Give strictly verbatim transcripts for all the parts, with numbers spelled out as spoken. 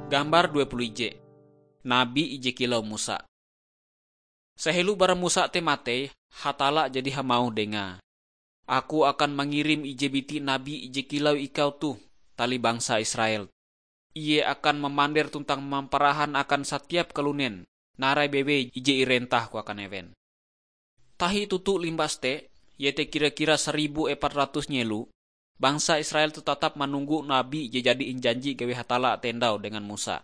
Gambar dua puluh ije. Nabi ije kilau Musa. Sehelo bara Musa te matei, Hatalla jadi hamauh dengae, "Aku akan mangirim ije biti nabi ije kilau ikau toh tali bangsa Israel. Ie akan mamander tuntang mamparahan akan satiap kalunen narai bewei ije irentah-Ku akan ewen." Tahi toto limbas te, iete kira-kira saribu epat ratus nyelo, bangsa Israel toh tatap manonggo nabi je jadi injanji gawi Hatalla te ndau dengan Musa.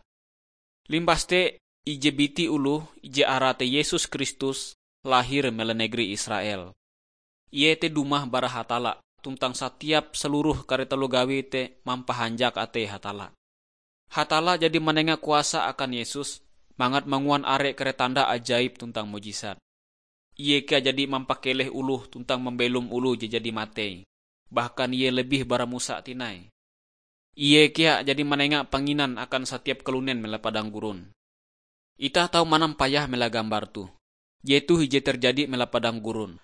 Limbas te, ije biti oloh je arae te Yesus Kristus lahir mela negeri Israel. Ie te dumah bara Hatalla, tuntang satiap seluruh kare taloh gawie te mampahanjak atei Hatalla. Hatalla jadi manenga kuasa akan Yesus mangat manguan are kare tanda ajaib tuntang mujisat. Ie kea jadi mampakeleh oloh tuntang mambelom oloh je jadi matei. Bahkan ie lebih bara Musa tinai. Ie kea jadi manenga panginan akan satiap kalunen mela padang gurun. Itah tau manampayah mela gambar toh. Jetoh ije terjadi mela padang gurun.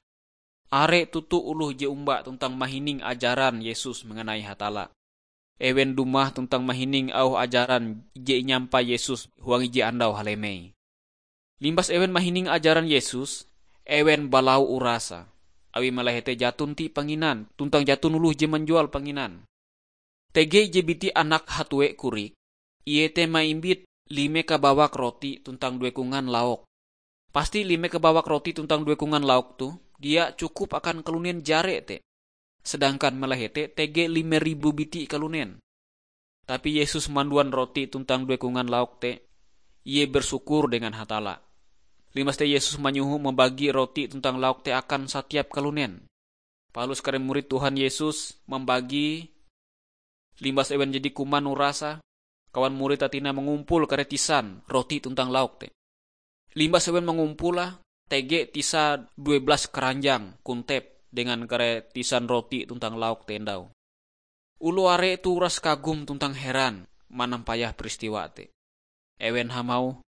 Are toto oloh je omba tuntang mahining ajaran Yesus mengenai Hatalla. Ewen dumah tuntang mahining auh ajaran je inyampai Yesus huang ije andau halemei. Limbas ewen mahining ajaran Yesus, ewen balau urase, awi mala hete jaton ti panginan tuntang jaton oloh je manjual panginan. Tege ije biti anak hatue korik, ie te maimbit lime kabawak roti tuntang due kongan lauk. Pasti lime kabawak roti tuntang due kongan lauk toh dia cukup akan kalunen jare te. Sedangkan mala hete tege lime ribu biti kalunen. Tapi Yesus manduan roti tuntang due kongan lauk te, ie bersyukur dengan Hatalla. Limbas te Yesus manyoho mambagi roti tuntang lauk te akan satiap kalunen. Palus kare murid Tuhan Yesus mambagi, limbas ewen jadi kuman urase, kawan murid te tinai mangumpul kare tisan roti tuntang lauk te. Limbas ewen mangumpule, tege tisae due belas karanjang kontep dengan kare tisan roti tuntang lauk te ndau. Oloh are toh uras kagum tuntang heran manampayah peristiwa te. Ewen hamauh,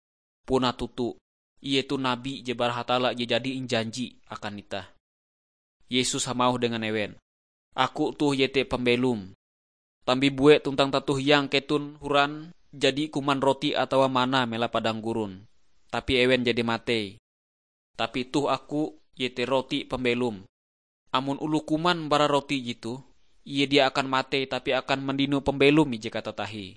"Puna toto, ie toh nabi je bara Hatalla je jadi injanji akan itah." Yesus hamauh dengan ewen, "Aku toh iete pambelom. Tambibue tuntang tato hiang keton horan jadi kuman roti atawa mana mela padang gurun, tapi ewen jadi matei. Tapi toh Aku, iete roti pambelom. Amon oloh kuman bara roti jetoh, ie dia akan matei tapi akan mandino pambelom ije katatahie."